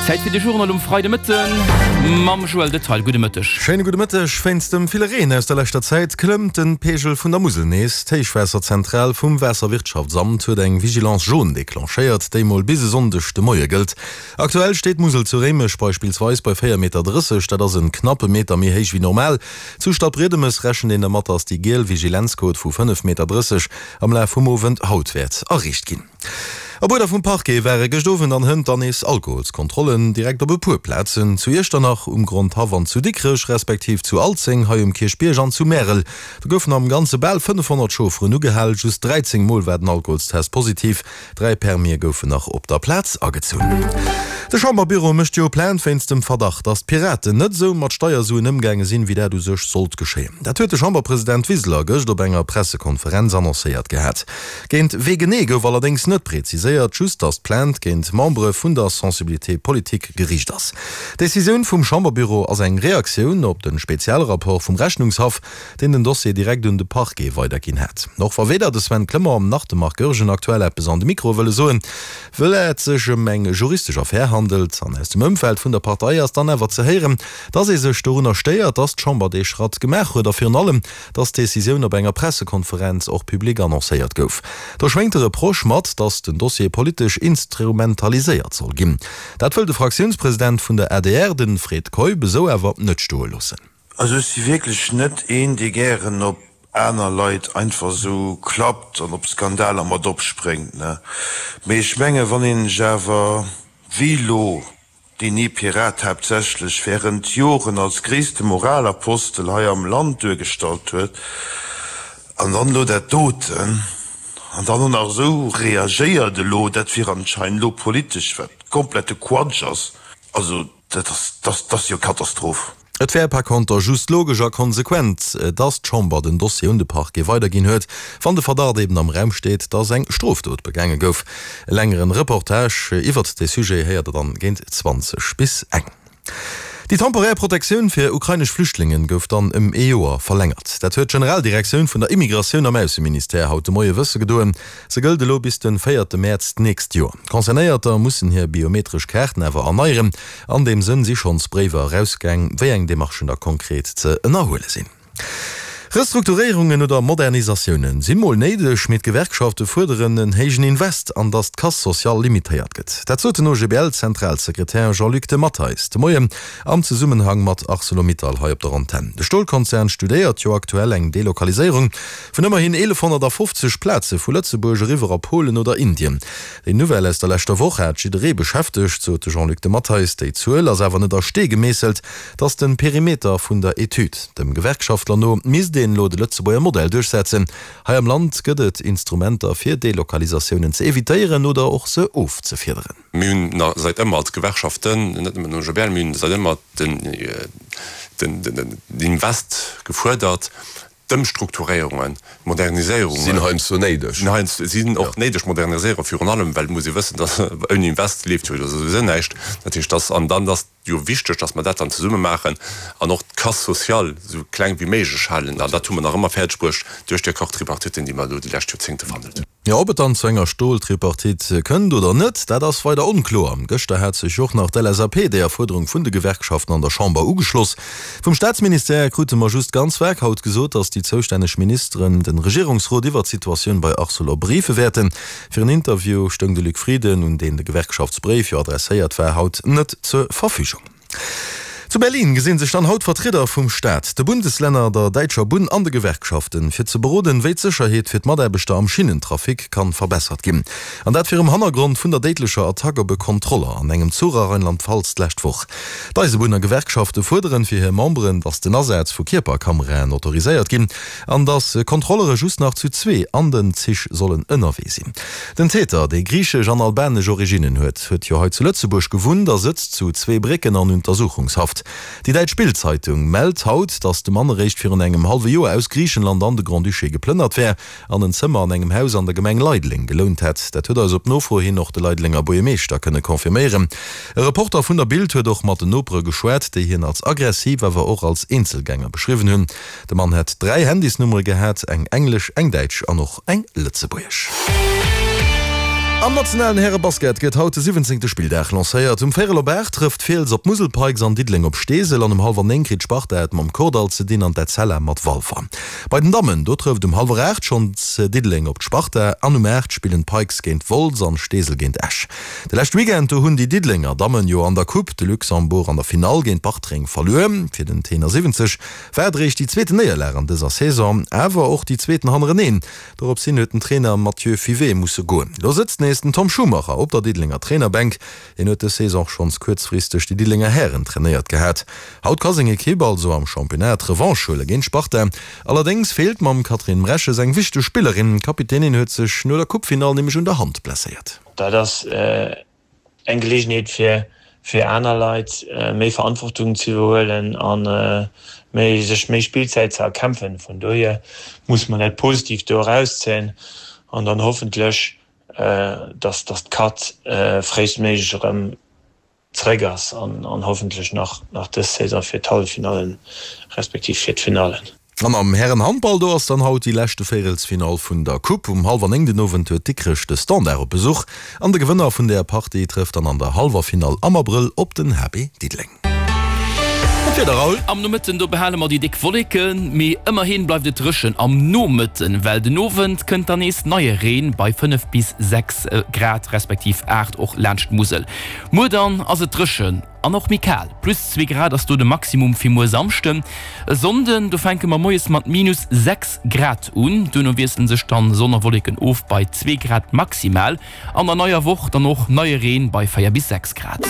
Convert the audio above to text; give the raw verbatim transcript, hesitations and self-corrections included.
Zäit fir de Journal um Freidemëtten mam Joël Detail. Gudde Mëtteg. Schéine gudde Mëtteg. Wéinst dem ville Reen aus der leschter Zäit klëmmt de Peegel vun der Musel nees. D'Héichwaasserzentral vum Waasserwirtschaftsamt huet eng Vigilance jaune declenchéiert, déi mol bis e Sonndeg de Moie gëllt. Aktuell steet d'Musel zu Réimech beispillsweis bei véier Meter drësseg, dat ass en knappe Meter méi héich wéi normal. Zu Stadbriedemes rechent een dermat, datt déi giel Vigilenzquot vu fënnef Meter drësseg am Laf vum Owend haut wäert erreecht ginn. Op Uerder vum Parquet ware gëscht Owend an hënt dann nees Alkoholskontrollen direkt op e puer Plazen, zu Iechternach, um Grondhaff an zu Dikrech, respektiv zu Alzeng, hei um Kierchbierg an zu Märel. Do goufen am Ganze bal fënnefhonnert Chaufferen ugehal, just dräizéng Mol war den Alkoholstest positiv, dräi Permie goufen nach op der Plaz agezunn. De Chamberbüro mécht jo Plainte wéinst dem Verdacht, datt d'Piraten net esou mat Steiersuen ëmgaange sinn, wéi dat u sech sollt geschéien. Dat huet de Chamberpresident Wiseler gëscht op enger Pressekonferenz annoncéiert gehat. Géint wee genee gouf allerdéngs net präziséiert, just datt d'Plainte géint Membere vun der Sensibilité politique geriicht ass. D'Decisioun vum Chamberbüro ass eng Reaktioun op de Spezialrapport vum Rechnungshaff, deen den Dossier direkt un de Parquet weiderginn hat. Och wa weder de Sven Clement nach de Marc Goergen aktuell eppes an de Mikro wëlle soen, wëll et sech ëm eng juristesch Affär handelt. An aus dem Ëmfeld vun der Partei ass dann awer ze héieren, dass ee sech dorunner stéiert, dass d'Chamber dee Schratt gemaach huet a virun allem, dass d'Decisioun op enger Pressekonferenz och public annoncéiert gouf. Do schwéngt de Reproche mat, dass den Dossier politesch instrumentaliséiert soll ginn. Dat wëll de Fraktiounspresident vun der adr, de Fred Keup, esou awer net stoe loossen. Also ech si wierklech net een, dee gären op aner Leit einfach esou klappt an op Skandaler mat opspréngt, ne. Mee ech menge wann een sech awer, wéi elo deen ee Pirat haaptsächlech, während Joren als gréisste Moralapostel hei am Land duergestallt huet, an dann elo dat doten, an dann och nach esou reagéiert elo, dat wier anscheinend elo politesch, wat komplette Quatsch ass, also dat ass, dat ass jo Katastroph. Et wär par conter just logesch a konsequent, dass d'Chamber den Dossier un de Parquet weiderginn huet, wann de Verdacht eben am Raum steet, dass eng Strofdot begaange gouf. E längeren Reportage iwwert dee Sujet héiert der dann géint zwanzeg bis eng. Déi temporär Protektioun fir ukrainesch Flüchtlingen gouf dann ëm ee Joer verlängert. Dat huet d'Generaldirektioun vun der Immigratioun am Ausseministère haut de Moie wësse gedoen. Se gëllt elo bis de véierte Mäerz d'nächst Joer. Concernéierter mussen hir biometresch Kaarten awer erneieren. An deem Sënn si schonns Bréiwer erausgaang, wéi eng Demarchen da konkret ze ënnerhuele sinn. Restrukturéierungen oder Modernisatiounen si mol néideg, mee d'Gewerkschafte fuerderen en héijen Invest an datt d'Casse sociale limitéiert gëtt. Dat sot den O G B L-Zentralsekretär Jean-Luc de Matteis de Moien am Zesummenhang mat Arcelor-Mittal hei op der Antenn. De Stolkonzern studéiert jo aktuell eng Delokaliséierung vun ëmmerhin eelefhonnertafofzeg Plaze vu Lëtzebuerg eriwwer a Polen oder Indien. Déi Nouvelle aus der leschter Woch hat jidderee beschäftegt, sot de Jean-Luc de Matteis. Déi Zuel ass awer net a Stee gemeesselt, 't ass de Perimeter vun der Etüd. Dem Gewerkschaftler no misst een elo de Lëtzebuerger Modell duerchsetzen. Hei am Land gëtt et Instrumenter fir Delokalisatiounen ze evitéieren oder och se ofzefiederen. Mir hunn na säit ëmmer als Gewerkschaften, net nëmmen den O G B L, mir hunn säit ëmmer den den den Invest gefuerdert, d'Ëmstrukturéierungen, d'Moderniséierungen. Sinn heiansdo néideg. Sinn heiansdo, sinn och néideg, Moderniséierung virun allem, well et muss ee wëssen, dass ouni Invest leeft jo souwisou näischt. Dat heescht, dass, an dann ass jo wichteg, dass mer dat dann zesumme maachen an och d'Casse sociale esou kleng wéi méiglech halen. An dat hu mer nach ëmmer fäerdeg bruecht duerch déi Accord-tripartiten, déi mer elo déi lescht Joerzéngte verhandelt hunn. Jo, ob et dann zu enger Stoltripartite kënnt oder net, dat ass weider onkloer. Gëschter hat sech och nach d'L S A P deeër Fuerderung vun de Gewerkschaften an der Chamber ugeschloss. Vum Staatsministère krute mer just ganz vag haut gesot, datt déi zoustänneg Ministeren de Regierungsrot iwwert d'Situatioun bei Arcelor briefe wäerten. Fir en Interview stoung de Luc Frieden, un deen de Gewerkschaftsbréif jo adresséiert war, haut net zur Verfügung. Zu Berlin gesinn sech dann haut Vertrieder vum Staat, de Bundeslänner, der däitscher Bunn an de Gewerkschaften, fir ze beroden, wéi d'Sécherheet fir d'Mataarbechter am Schinnentrafic kann verbessert ginn. An dat virum Hannergrond vun der déidlecher Attack op e Kontroller an engem Zuch a Rheinland-Pfalz d'lescht Woch. D'Eisebunner-Gewerkschafte fuerderen fir hir Memberen, datt den Asaz vu Kierperkameraen autoriséiert ginn an datt Kontrollere just nach zu zwee an den Zich sollen ënnerwee sinn. Den Täter, dee griichesch an albanesch Originnen huet, huet jo hei zu Lëtzebuerg gewunnt a sëtzt zu Zweebrécken an Untersuchungshaft. Déi däitsch Bild-Zeitung mellt haut, datt de Mann eréischt virun engem hallwe Joer aus Griichenland an de Grand-Duché geplënnert wär an en Zëmmer an engem Haus an der Gemeng Leideleng gelount hätt. Dat huet eis op Nofro hin och de Leidelenger Buergermeeschter kënne confirméieren. E Reporter vun der Bild huet och mat den Nopere geschwat, déi hien als aggressiv, awer och als Eenzelgänger beschriwwen hunn. De Mann hätt dräi Handysnummere gehat, eng englesch, eng däitsch an och eng lëtzebuergesch. Am nationalen Härebasket gëtt haut de siwwenzéngte Spilldag lancéiert. Um Véierel op aacht trëfft Fiels op d'Musel Pikes an Diddeleng op Steesel an um hallwer néng kritt d'Sparta et mam Kordall ze dinn an d'Etzella mat Walfer. Bei den Dammen, do trëfft um hallwer aacht schonns Diddeleng op d'Sparta an um aacht spillen d'Pikes géint Wolz an Steesel géint Esch. De leschte Weekend, do hunn déi Diddelenger Dammen jo an der Coupe de Luxembourg an der Finall géint Bartreng verluer. Fir den Tenor siwwenzeg war et eréischt déi zweeten Néierlag an dëser Saison, awer och déi zweeten hannereneen. Dorops hin huet den Trainer Mathieu Fivet musse goen. Lo sëtzt nees den Tom Schumacher op der Diddelenger Trainerbänk. Hien huet dës Saison schonns kuerzfristeg déi Diddelenger Hären trainéiert gehat. Haut ka seng Ekipp also am Championnat d'Revanche huele géint Sparta. Allerdéngs feelt mam Catherine Mreches eng wichteg Spillerin. D'Kapitänin huet sech no der Coupefinall nämlech un der Hand blesséiert. Dat ass eng Geleegenheet fir fir aner Leit méi Verantwortung ze iwwerhuelen a méi sech méi Spillzäit ze erkämpfen. Vun dohier muss mer dat positiv do erauszéien an dann hoffentlech, dass dass d'Kat fréistméiglech erëm zeréck ass an an hoffentlech nach nach dës Saison fir d'Halleffinallen respektiv fir d'Finallen. An am Hären-Handball, do ass dann haut déi leschte Véierelsfinall vun der Coupe. Um hallwer néng den Owend huet Dikrech de Standard op Besuch an de Gewënner vun där Partie trëfft dann an der hallwer Finall am Abrëll op den H B Diddeleng. An d'Wieder, Raoul? Am Nomëtten, do behale mer déi déck Wolleken, mee ëmmerhi bleift et dréchen am Nomëtten, well den Owend kënnt dann nees neie Reen bei fënnef bis sechs Grad respektiv aacht och laanscht d'Musel. Muer dann ass et dréchen an och méi kal, plus zwee Grad ass do de Maximum fir muer Samschden. E Sonnden, do fänke mer moies mat minus sechs Grad un, duerno wiessele sech dann Sonn a Wolleken of bei zwee Grad maximal. An der neier Woch dann och neie Reen bei véier bis sechs Grad.